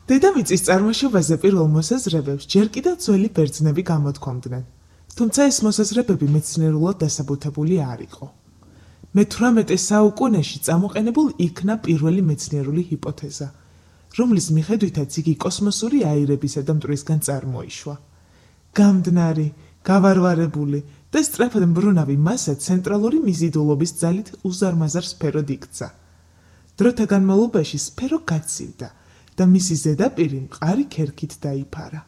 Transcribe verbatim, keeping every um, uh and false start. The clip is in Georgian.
დედამიწის წარმოშობაზე პირველ მოსაზრებებს ჯერ კიდევ ძველი ბერძნები გამოთქვამდნენ, თუმცა ეს მოსაზრებები მეცნიერულად დასაბუთებული არ იყო. მეთვრამეტე საუკუნეში წამოყენებულ იქნა პირველი მეცნიერული ჰიპოთეზა, რომლის მიხედვითაც იგი კოსმოსური აირებისა და მტვრისგან წარმოიშვა. გამდნარი, გავარვარებული და სწრაფად მბრუნავი მასა ცენტრალური მიზიდულობის ძალით უზარმაზარ სფეროდ იქცა. დროთა განმავლობაში სფერო გაცივდა და მისი ზედაპირი მყარი ქერქით დაიფარა.